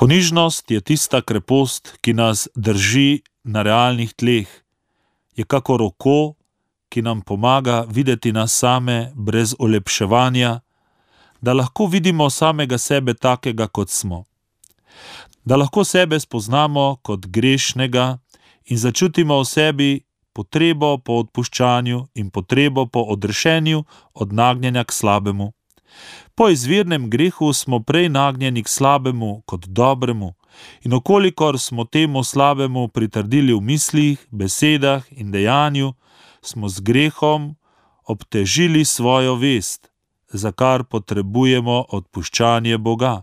Ponižnost je tista krepost, ki nas drži na realnih tleh. Je kako roko, ki nam pomaga videti nas same brez olepševanja, da lahko vidimo samega sebe takega, kot smo. Da lahko sebe spoznamo kot grešnega in začutimo v sebi potrebo po odpuščanju in potrebo po odrešenju od nagnjenja k slabemu. Po izvirnem grehu smo prej nagnjeni k slabemu kot dobremu in okolikor smo temu slabemu pritrdili v mislih, besedah in dejanju, smo z grehom obtežili svojo vest, za kar potrebujemo odpuščanje Boga,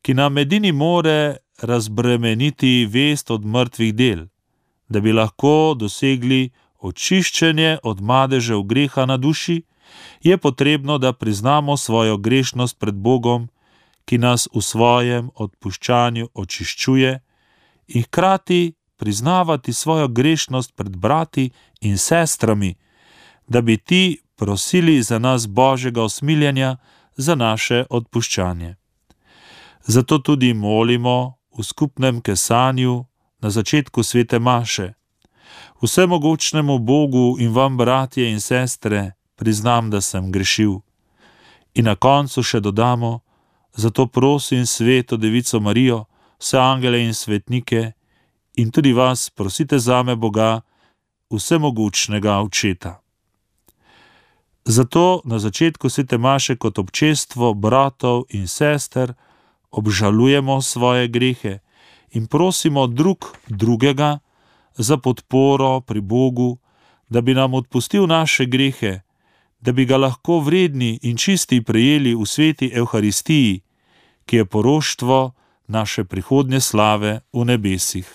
ki nam edini more razbremeniti vest od mrtvih del, da bi lahko dosegli očiščenje od madežev greha na duši, je potrebno, da priznamo svojo grešnost pred Bogom, ki nas v svojem odpuščanju očiščuje, in hkrati priznavati svojo grešnost pred brati in sestrami, da bi ti prosili za nas Božjega usmiljenja za naše odpuščanje. Zato tudi molimo v skupnem kesanju na začetku svete maše. Vsemogočnemu Bogu in vam, bratje in sestre, priznam, da sem grešil. In na koncu še dodamo, zato prosim sveto Devico Marijo, vse angele in svetnike in tudi vas prosite zame Boga, vsemogočnega Očeta. Zato na začetku svete maše kot občestvo bratov in sester obžalujemo svoje grehe in prosimo drug drugega za podporo pri Bogu, da bi nam odpustil naše grehe, da bi ga lahko vredni in čisti prejeli v sveti Evharistiji, ki je poroštvo naše prihodnje slave v nebesih.